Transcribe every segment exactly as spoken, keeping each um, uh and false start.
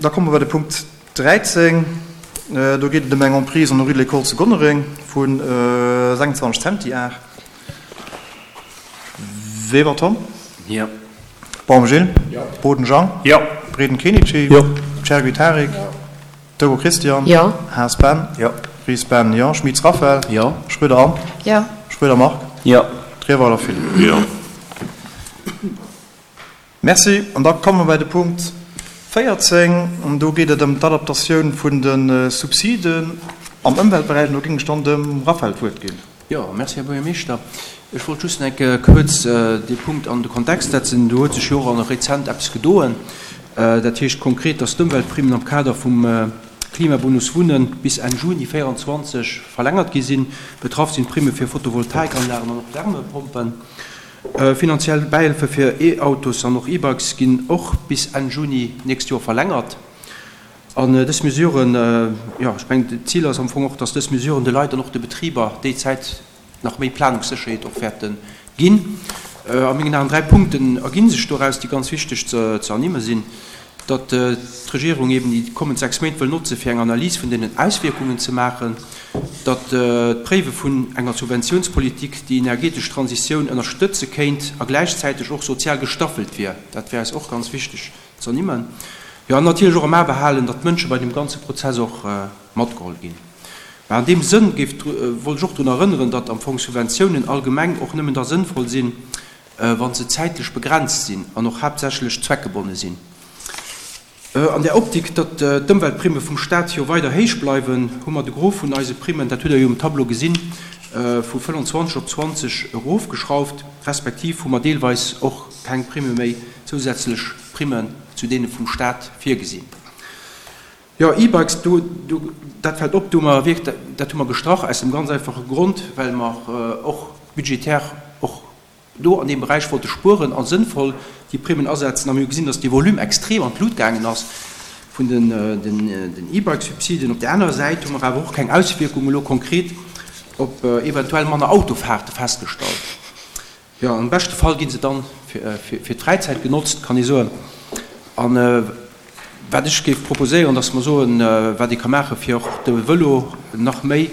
Da komme mer bei de Punkt dräizéng. Do geet et ëm eng Emprise an der Rue de l'École zu Gonnereng vu sechsundzwanzeg Centiar. Weber Tom. Jo. Baum Gilles. Jo. Boden Jean. Jo. Breden Kenichi. Jo. Chergui Tarik. Jo. Togo Christian. Jo. Haas Ben. Jo. Ries Ben. Jo. Schmitz Raphaël. Jo. Schroeder Anne. Jo. Schroeder Marc. Jo. Trierweiler Philippe. Jo. Merci. An da komme mer bei de Punkt véierzéng. An do geet et ëm d'Adaptatioun vun de Subsiden am Ëmweltberäich. An do géing ech dann dem Raphaël d'Wuert ginn. Jo, merci, Här Buergermeeschter. Ech wollt just eng Kéier kuerz dee Punkt an de Kontext setzen. Do huet sech jo och rezent eppes gedoen. Dat heescht konkret, dass d'Ëmweltprimmen am Kader vum Klimabonus Wunnen bis Enn Juni véieranzwanzeg verlängert gi sinn. Betraff sinn d'Primme fir Photovoltaikanlagen an och Wärmepompen. Finanziell Bäihëlfe fir E-Autos an och E-Bikes ginn och bis Enn Juni d'nächst Joer verlängert. An dës Mesuren, jo, ech mengen, d'Zil ass am Fong och, dass dës Mesuren de Leit an och de Betriber déi Zäit nach méi Planungssécherheet och wäerte ginn. A mengen Aen dräi Punkten erginn sech doraus, déi ganz wichteg ze ernimme sinn, datt d'Regierung eben déi kommend sechs Méint wëll notze fir eng Analys vun deenen Auswierkungen ze maachen, datt d'Préiwe vun enger Subventiounspolitik déi energetesch Transitioun ënnerstëtze kéint a gläichzäiteg och sozial gestaffelt wier. Dat wär eis och ganz wichteg ze ernimmen. Jo, an natierlech och am A behalen, datt d'Mënsche bei deem ganze Prozess och matgeholl ginn. Mä an deem Sënn géif, wollt ech och drun erënneren, datt am Fong Subventiounen allgemeng och nëmmen da sënnvoll sinn, wa se zäitlech begrenzt sinn an och haaptsächlech zweckgebonne sinn. An där Optik, datt d'Ëmweltprimme vum Stat jo weider héich bleiwen, hu mer de Gros vun eise Primmen, dat hutt Der jo um Tableau gesinn, vu fënnanzwanzeg op zwanzeg erofgeschrauft, respektiv hu mer deelweis och keng Primme méi, zousätzlech Primmen zu deene vum Stat virgesinn. Jo, E-Bikes, do, do, dat fält op, do hu mer wierk, dat hu mer gestrach aus dem ganz einfache Grond, well mer och budgetär och do an deem Beräich wollte spueren a sënnvoll déi Primmen asetzen. A mir hu gesinn, dass dee Volume extrem an d'Lut gaangen ass vun den, den E-Bike-Subsiden. Op där anerer Säit hu mer awer och keng Auswierkung elo konkret op eventuell manner Autofahrte festgestallt. Jo, am beschte Fall gi se dann fir, fir d'Fräizäit genotzt, kann ee soen. An wat ech géif proposéieren, dass mer soen, wat ee ka maachen, fir och de Vëlo nach méi,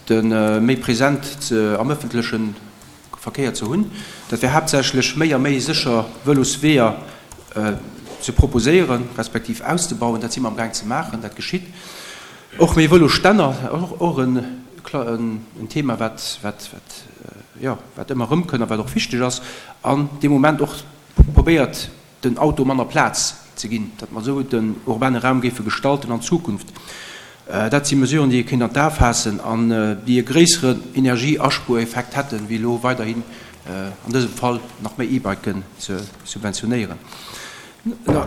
de méi present ze, am ëffentlechen Verkéier ze hunn, dat wär haaptsächlech méi a méi sécher Vëlosweeër ze proposéieren, respektiv auszebauen. Dat si mer amgaang ze maachen, dat geschitt. Och méi Vëlosstänner, och en Thema, wat, wat, wat, jo, wat ëmmer erëmkënnt a wat och wichteg ass. An dee Moment och probéiert, den Auto manner Plaz ze ginn, datt mer esou den urbane Raum géife gestalten an Zukunft. Dat si Mesuren, déi ee kéint an d'A faassen an déi e gréisseren Energieaspuereffekt hätten, wéi elo weiderhin an dësem Fall nach méi E-Biken ze subventionéieren.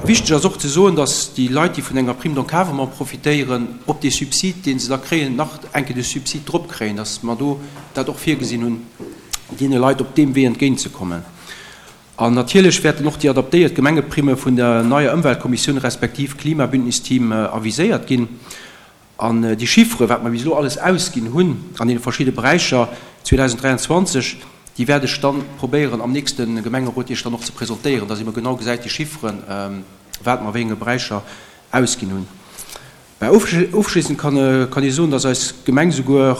Wichteg ass och ze soen, datt déi Leit, déi vun enger Prime d'encadrement profitéieren, op dee Subsid, dee se da kréien, nach eng Kéier de Subsid drop kréien, datt mer do dat och virgesinn hunn, deene Leit op deem Wee entgéintzekommen. An natierlech wäerten och déi adaptéiert Gemengeprimme vun der neier Ëmweltkommissioun respektiv Klimabündnisteam aviséiert ginn. An déi Chiffere, wat mer bis elo alles ausginn hunn an deene verschidde Beräicher zweedausenddräianzwanzeg, déi wäert ech dann probéieren am nächste Gemengerot Iech dann och ze presentéieren, dass ee mer genau gesäit, déi Chifferen, wat mer a wéi enge Beräicher ausginn hunn. Mä ofschléissend kann ee soen, dass eis Gemeng souguer,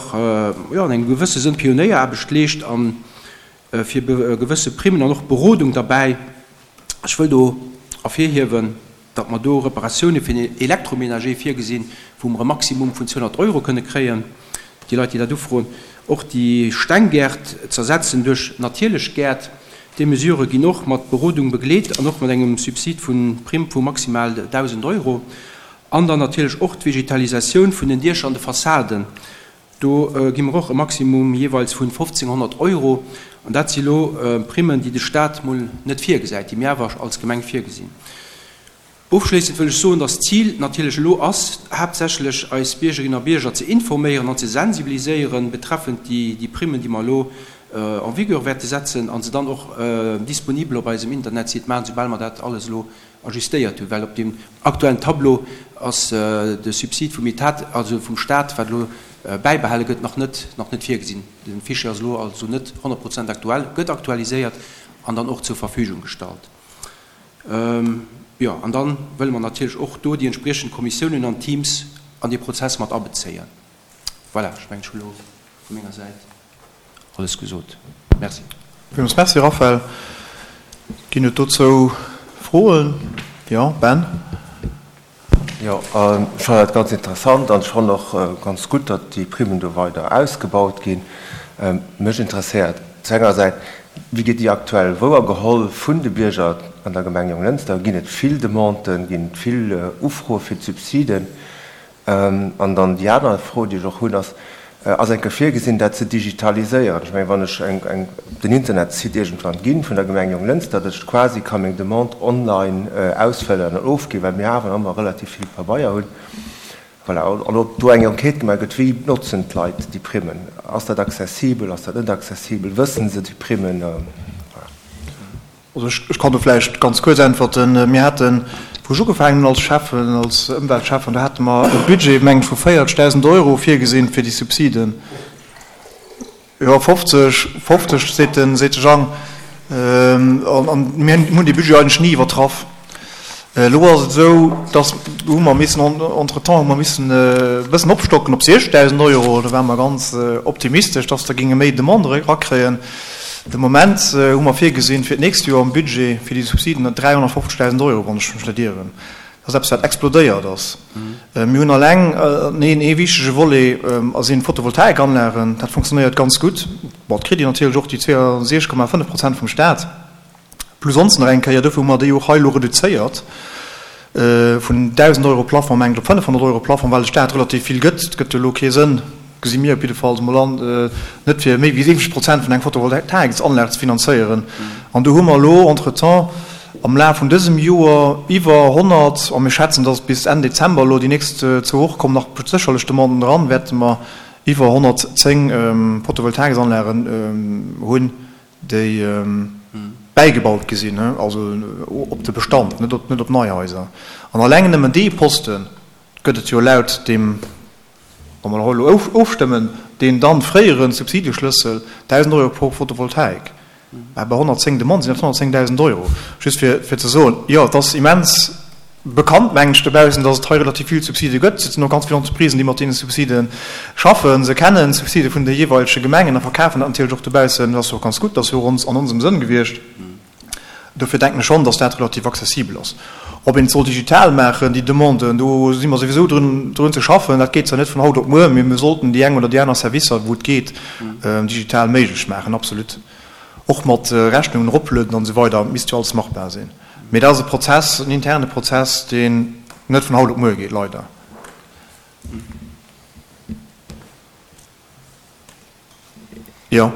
jo, an engem gewësse Sënn Pionéieraarbecht leescht a fir gewësse Primmen an och Berodung derbäi. Ech wëll do ervirhiewen, datt mer do Reparatioune fir den Électroménager virgesinn, wou mer e Maximum vun zweehonnert Euro kënne kréien, déi Leit, déi dat ufroen. Och déi Stenggäert z'ersetzen duerch natierlech Gäert, déi Mesurë ginn och mat Berodung begleet an och mat engem Subsid vu Primm vu maximal dausend Euro. An dann natierlech och d'Vegetalisatioun vun den Diecher an de Fassaden, do gi mer och e Maximum jeeweils vun fofzénghonnert Euro. An dat si lo Primmen, déi de Stat mol net virgesäit, déi mir awer als Gemeng virgesinn. Ofschléissend wëll ech soen, dass d'Zil natierlech elo ass, haaptsächlech eis Biergerinnen a Bierger ze informéieren an ze sensibiliséieren betreffend déi Primmen, déi mer elo en vigueur wäerte setzen a se dann och disponibel op eisem Internetsite maachen, soubal mer dat alles elo ajustéiert hunn. Well op deem aktuellen Tableau ass de Subsid vum Etat, also vum Stat, wat elo bäibehale gëtt, nach net nach net virgesinn. De Fichier ass elo also net honnert Prozent aktuell, gëtt aktualiséiert an dann och zur Verfügung gestallt. Jo, an da wëlle mer natierlech och do déi entspriechend Kommissiounen an Teams an dee Prozess mat abezéien. Voilà, ech mengen, ech hu lo vu menger Säit alles gesot. Merci. Villmools Merci, Raphaël. Ginn et dozou Froen? Jo, Ben. Jo, ech fannen dat ganz interessant an ech fannen och ganz gutt, datt déi Primmen do weider ausgebaut ginn. Mech interesséiert zu enger Säit, wéi gëtt déi aktuell wouergeholl vun de Bierger an der Gemeng Jonglënster? Ginn et vill Demanden, ginn et vill Ufroe fir d'Subsiden? An dann déi aner Fro, déi ech och hunn, ass, Ass eng Kéier virgesinn, dat ze digitaliséieren? Ech mengen, wann ech eng, eng, den Internetsite iergendwann ginn vun der Gemeng Jonglënster, datt ech quasi ka meng Demande online ausfëllen an ofginn, well mir awer nach ëmmer relativ vill Pabeier hunn. Voilà. An ob do eng Enquête gemaach gëtt, wéi notzen d'Leit déi Primmen? Ass dat accessibel, ass dat net accessibel? Wësse se déi Primmen? Voilà. Also ech kann do vläicht ganz kuerz äntwerten. Mir haten, wou ech ugefaangen hunn als Schäffen, als Ëmweltschäffen, do hate mer e Budget, meng ech, vu véierzegdausend Euro virgesinn fir déi Subsiden. Jo, fofzeg, fofzeg seet de, seet de Jang. An mir hunn dee Budget eigentlech ni iwwertraff. Elo ass et esou, dass, do hu mer missen, entretemps hu mer missen e bëssen opstocken op siechzegdausend Euro. Do ware mer ganz optimistesch, dass der géinge méi Demanden erakréien. De Moment hu mer virgesinn fir d'nächst Joer am Budget fir déi Subsiden dräihonnertfofzegdausend Euro, wann ech mech net ieren. Dat ass eppes, wat explodéiert ass. Mir hunn alleng een ee wichtege Volet a sinn d'Photovoltaikanlagen. Dat funktionéiert ganz gutt. Bon, et kritt een natierlech och déi zweeënsechzeg Komma fënnef Prozent vum Staat. Plus ons nach eng Kéier, dofir hu mer déi och hei elo reduzéiert vun dausend Euro Plafond, mengen ech, op fënnefhonnert Euro Plafond, well de Staat relativ vill gëtt. Et gëtt jo elo kee Sënn, gesi mir op jiddefalls emol an, net fir méi wéi siwwenzeg Prozent vun engem Photovoltaiksanlag ze finanzéieren. An do hu mer elo entretemps am Laf vun dësem Joer iwwer honnert, a mir schätzen, dass bis Enn Dezember elo déi nächst zwou Woche kommen nach sécherlech Demanden eran, wäerte mer iwwer honnertzéng Photovoltaiksanlagen hunn, déi bäigebaut gi sinn, also op de Bestand, net op, net op nei Haiser. An alleng nëmmen dee Poste gëtt et jo laut deem, wa mer elo ofstëmmen, deen dann fréiere Subsideschlëssel, dausend Euro pro Photovoltaik. Mä bei honnertzéng Demanden sinn dat honnertzéngdausend Euro. Just fir, fir ze soen, jo, et ass immens bekannt, mengen ech, dobaussen, datt et hei relativ vill Subside gëtt. Et sinn och ganz vill Entreprisen, déi mat deene Subside schaffen. Se kennen d'Subside vun de jeeweilege Gemengen a verkafen dat natierlech och dobaussen. Dat ass jo och ganz gutt, dat ass jo och ons, an onsem Sënn gewiescht. Dofir denken ech schonn, datt dat relativ accessibel ass. Ob een et soll digital maachen, déi Demanden, do si mer souwisou drun, drun ze schaffen. Dat geet zwar net vun haut op muer, mee mir sollten déi eng oder déi aner Servicer, wou et geet, digital méiglech maachen, absolut. Och mat Rechnungen eroplueden an esou weider, misst jo alles machbar sinn. Mee dat ass e Prozess, en interne Prozess, deen net vun haut op muer geet, leider. Jo.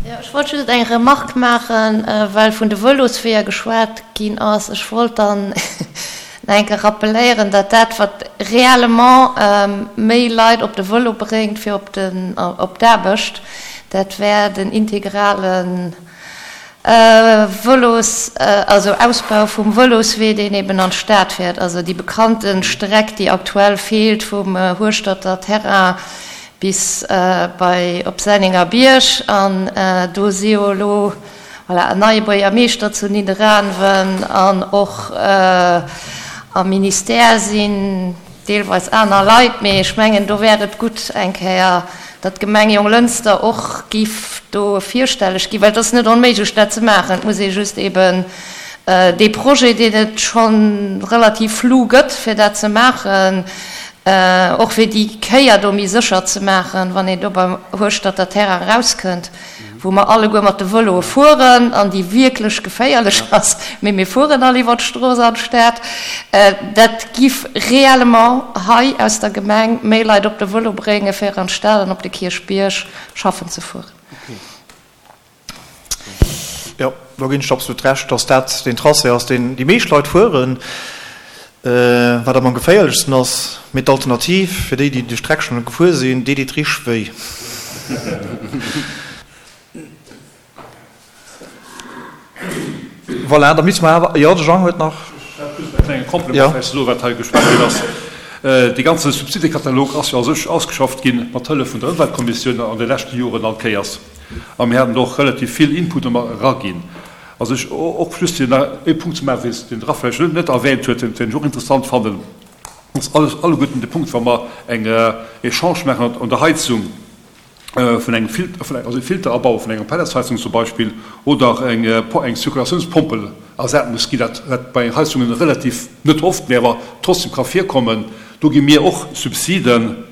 Jo, ech wollt just eng Remarque maachen, well vun de Vëlosweeër geschwat ginn ass. Ech wollt dann nach eng Kéier rappeléieren, datt dat, wat réellement méi Leit op de Vëlo bréngt fir op den, op d'Aarbecht, dat wär den integrale Vëlos, also Ausbau vum Vëloswee, deen eben an d'Stad féiert, also déi bekannte Streck, déi aktuell feelt vum Hueschterter Terrain bis bei op Sennengerbierg. An do si jo elo, voilà, en neie Buergermeeschter zu Nidderaanwen an och am Ministère sinn deelweis aner Leit, mee ech mengen, do wär et gutt eng Kéier, datt d'Gemeng Jonglënster och giff do virstelleg ginn, well et ass net onméiglech dat ze maachen, et muss ee just eben dee Projet, deen et scho relativ flou gëtt, fir dat ze maachen, och fir déi Kéier do méi sécher ze maachen, wann een do beim Hueschterter Terrain erauskënnt, wou mer alleguer mat de Vëloe fueren an déi wierklech geféierlech ass, mee mir fueren all iwwer d'Strooss an d'Stad, dat giff réellement hei aus der Gemeng méi Leit op de Vëlo bréngen, fir an d'Stad an op de Kierchbierg schaffen ze fueren. Jo, do ginn ech der absolut Recht, dass dat deen Tracé ass, deen déi meescht Leit fueren, wat am geféierlechsten ass. Mee d'Alternativ, fir déi, déi déi Streck schonn gefuer sinn, déi deet richteg wéi. Voilà, da misste mer awer, jo, de Jean huet nach. Ech hat just e klenge Complément vläicht ze soen, wat hei geschwat ginn ass. Dee ganze Subsidekatalog ass jo a sech ausgeschafft gi mat Hëllef vun der Ëmweltkommissioun an de leschte Joren all Kéiers. A mir haten do och relativ vill Input ëmmer eraginn. Also ech, och just fir nach ee Punkt ze maachen, deen de Raphaël vläicht net erwähnt huet, deen ech och interessant fannen, ass alles, alleguerten de Punkt, wa mer eng Echange maachen an der Heizung vun engem Filter, also e Filter abaue vun enger Pelletsheizung zum Beispill, oder eng eng Zirkulatiounspompel ersat muss ginn, dat wat bei Heizungen relativ net oft, mä awer trotzdem ka virkommen, do gi mir och Subsiden,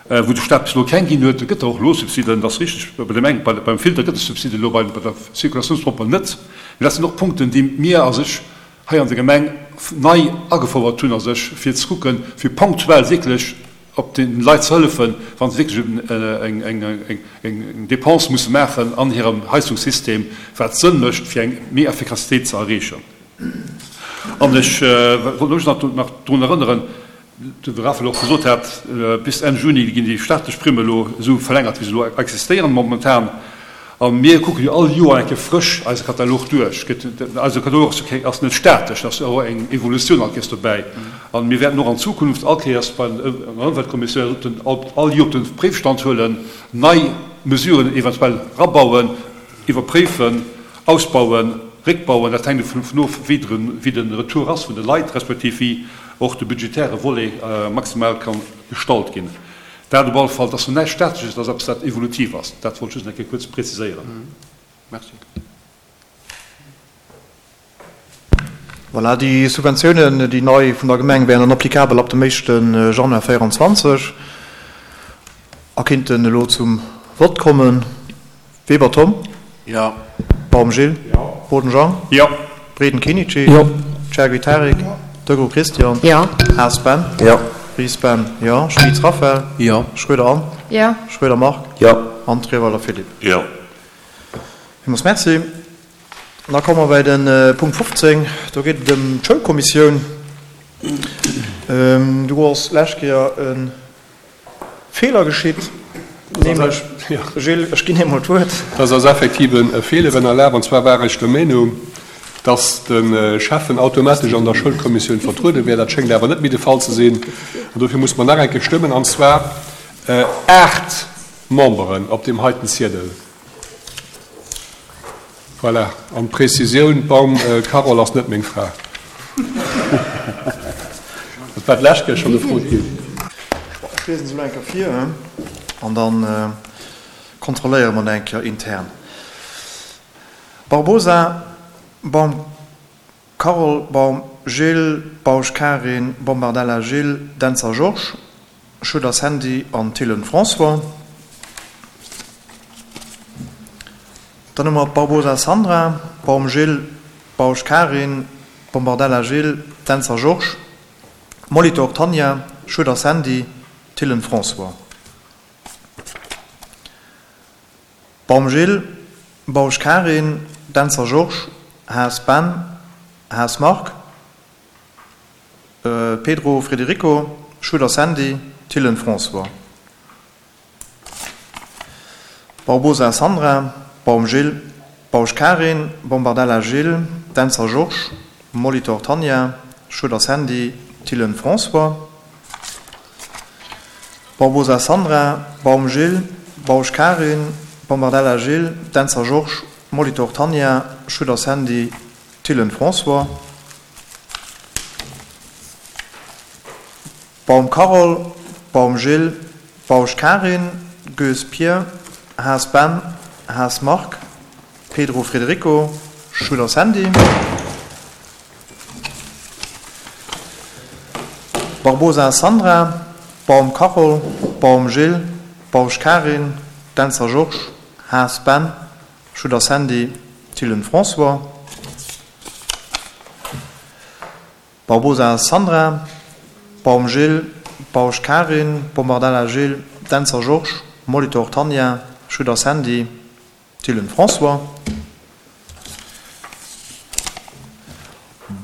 wou de Staat bis elo keng ginn huet. E gëtt der och elo Subsiden, dat ass richteg, bei dem eng, beim Filter gëtt e Subside elo, bei der Zirkulatiounspompel net. Mä dat sinn och Punkten, déi mir a sech hei an der Gemeng nei agefouert hunn a sech, fir ze kucken, fir ponktuell wierklech op den Leit ze hëllefen, wa se wierklech eng Dépense musse maachen an hirem Heizungssystem, wat Sënn mécht, fir eng méi Effikassitéit ze erreechen. An ech wollt lech nach drun erënneren, de Raphaël och gesot hat, bis Enn Juni ginn déi staatlech Primme elo esou verlängert, wéi se elo existéieren momentan. A mir kucke jo all Joer eng Kéier frësch eise Katalog duerch. Eise Katalog ass net statesch, et ass och eng Evolutioun all Kéiers dobäi. A mir wäerten och an Zukunft all Kéiers bei der Ëmweltkommissioun all Joer op de Préifstand huelen, nei Mesuren eventuell erabauen, iwwerpréifen, ausbauen, réckbauen. Dat hänkt dovun of, wéi de Retour ass vun de Leit, respektiv wéi och de budgetäre Volet maximal ka gestallt ginn. Dat op alle Fall, dat ass näischt Statesches, dat ass eppes, dat evolutiv ass. Dat wollt ech just eng Kéier kuerz präziséieren. Merci. Voilà, déi Subventiounen, déi nei vun der Gemeng, wären dann applicabel ab dem éischte Januar véieranzwanzeg a kinnten elo zum Vott kommen. Weber Tom. Jo. Baum Gilles. Jo. Boden Jean. Jo. Breden Kenichi. Jo. Chergui Tarik. Jo. Degraux Christian. Jo. Haas Ben. Jo. Ries Ben. Jo. Schmitz Raphaël. Jo. Schroeder Anne. Jo. Schroeder Marc. Jo. An Treweiler Philippe. Jo. Villmools Merci. Da komme mer bei de Punkt fofzéng. Do geet et ëm d'Schoulkommissioun. Do ass d'lescht Kéier e Feeler geschitt, nämlech, Gilles, ech ginn emol d'Wuert. Dat ass effektiv e Feeler ënnerlaf. An zwar war ech der Meenung, dass de Schäffen automatesch an der Schoulkommissioun vertruede wär. Dat schéngt awer net méi de Fall ze sinn. An dofir muss mer nach eng Kéier stëmmen, an zwar aacht Memberen op deem heiten Ziedel. Voilà. An d'Präzisioun, d'Baum Carole ass net meng Fra. Dat war d'lescht Kéier schonn gefrot ginn. Ech liesen se elo eng Kéier vir an da kontrolléiere mer dat eng Kéier intern. Barbosa, Baum Carole, Baum Gilles, Bausch Karin, Bombardella Gilles, Dentzer Georges, Schueder Sandy an Thillen François. Dann hu mer Barbosa Sandra, Baum Gilles, Bausch Karin, Bombardella Gilles, Dentzer Georges, Molitor Tanja, Schueder Sandy, Thillen François. Baum Gilles, Bausch Karin, Dentzer Georges, Haas Ben, Haas Marc, Pedro Frederico, Schueder Sandy, Thillen François. Barbosa Sandra, Baum Gilles, Bausch Karin, Bombardella Gilles, Dentzer Georges, Molitor Tanja, Schueder Sandy, Thillen François. Barbosa Sandra, Baum Gilles, Bausch Karin, Bombardella Gilles, Dentzer Georges, Molitor Tanja, Schueder Sandy, Thillen François. Baum Carole, Baum Gilles, Bausch Karin, Goes Pierre, Haas Ben, Haas Marc, Pedro Frederico, Schueder Sandy. Barbosa Sandra, Baum Carole, Baum Gilles, Bausch Karin, Dentzer Georges, Haas Ben, Schueder Sandy, Thillen François. Barbosa Sandra, Baum Gilles, Bausch Karin, Bombardella Gilles, Dentzer Georges, Molitor Tanja, Schueder Sandy, Thillen François.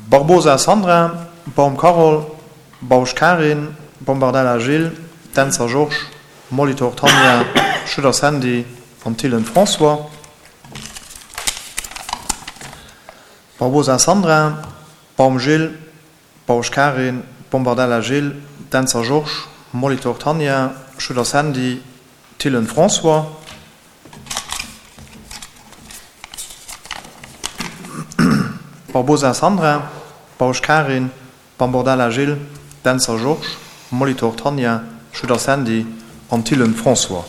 Barbosa Sandra, Baum Carole, Bausch Karin, Bombardella Gilles, Dentzer Georges, Molitor Tanja, Schueder Sandy an Thillen François. Barbosa Sandra, Baum Gilles, Bausch Karin, Bombardella Gilles, Dentzer Georges, Molitor Tanja, Schueder Sandy, Thillen François. Barbosa Sandra, Bausch Karin, Bambordella Gilles, Dentzer Georges, Molitor Tanja, Schutter Sandy an Thillen François.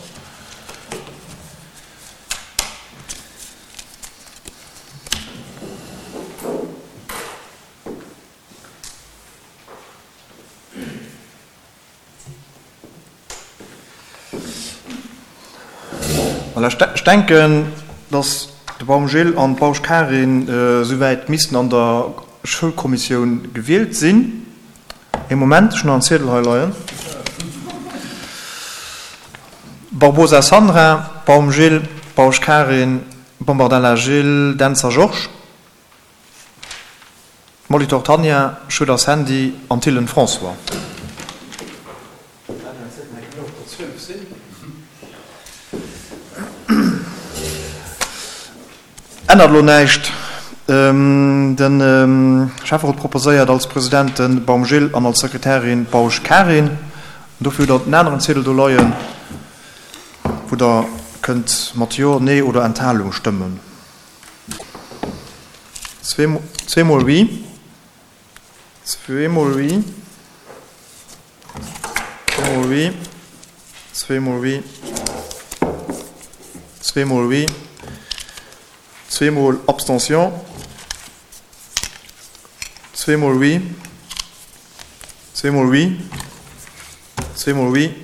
Voilà, ech denken, dass de Baum Gilles an d'Bausch Karin esouwäit missten an der Schoulkommissioun gewielt sinn. Ee Moment, ech hunn nach en Ziedel hei leien. Barbosa Sandra, Baum Gilles, Bausch Karin, Bombardella Gilles, Dentzer Georges, Molitor Tanja, Schutter Sandy an Thillen François. Ännert elo näischt. De Schäfferot proposéiert als President de Baum Gilles an als Sekretärin d'Bausch Karin. An dofir hutt Der den aneren Ziedel do leien, wou Der kënnt mat Jo, Nee oder Enthalung stëmmen. Zweemol Oui. Zweemol Oui. Zweemol Oui. Zweemol Oui. Zweemol Oui. Zweemol Abstention. Zweemol Oui. Zweemol Oui. Zweemol Oui.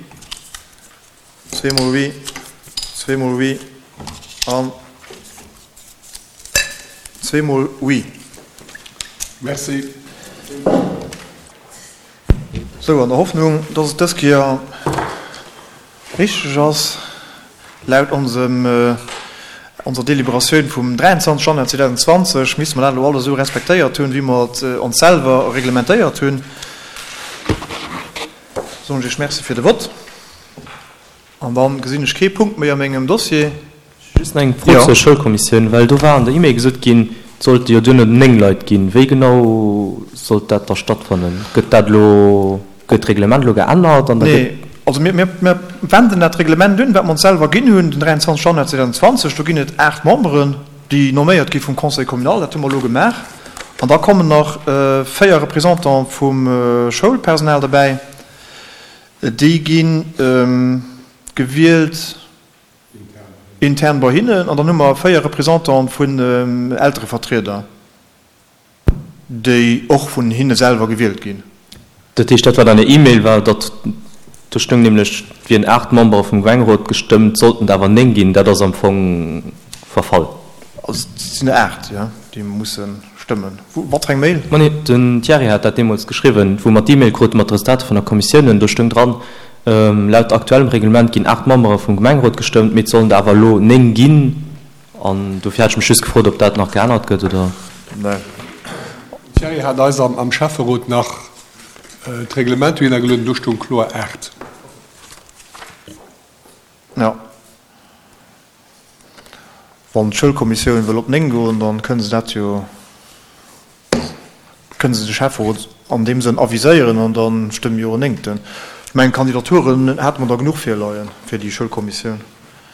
Zweemol Oui. Zweemol Oui an zweemol Oui. Merci. Sou, an der Hoffnung, dass et dës Kéier richteg ass, laut onsem, onser Deliberatioun vum dräianzwanzeg Januar zweedausendzwanzeg misste mer dat elo alles esou respektéiert hunn, wéi mer et ons selwer reglementéiert hunn. Soen ech Iech Merci fir de Vott. An da gesinn ech kee Punkt méi a mengem Dossier. Just nach eng Fro zur Schoulkommissioun, well do war an der E-Mail gesot ginn, et sollte jo duerno néng Leit ginn. Wéi genau sollt dat da stattfannen? Gëtt dat elo, gëtt d'Reglement elo geännert an da gëtt. Nee, also mir, mir, mir wenden dat Reglement un, wat mer ons selwer ginn hunn, den dräianzwanzeg Januar zweedausendzwanzeg. Do ginn et aacht Memberen, déi nomméiert gi vum Conseil communal. Dat hu mer elo gemaach. An da kommen nach véier Représentants vum Schoulpersonal derbäi. Déi gi gewielt intern bei hinnen. An dann hu mer véier Représentante vun Elterevertrieder, déi och vun hinne selwer gewielt ginn. Dat heescht, dat wat an der E-Mail war, datt, do stoung nämlech, et wieren aacht Membere vum Gemengerot gestëmmt, et sollten der awer néng ginn, dat ass am Fong verfall. Also et sinn der aacht, jo, déi musse stëmmen. Wou, wat fir eng Mail? Ma nee, den Thierry hat dat deemools geschriwwen, wou mer d'E-Mail krute mat de Resultater vun der Kommissiounen. Do stoung dran, Laut aktuellem Reglement ginn aacht Membere vum Gemengerot gestëmmt, mee et sollen der awer elo néng ginn. An dofir hat ech mech just gefrot, ob dat nach geännert gëtt oder. Nee. Den Thierry hat eis am Schäfferot nach d'Reglement dohinner gelueden, do stoung kloer aacht. Jo. Wann d'Schoulkommissioun wëll op néng goen, da kënne se dat jo, kënne se de Schäfferot an deem Sënn aviséieren an da stëmme jo en Néngten. Ech mengen, Kandidaturen hate mer der genuch virleie fir déi Schoulkommissioun.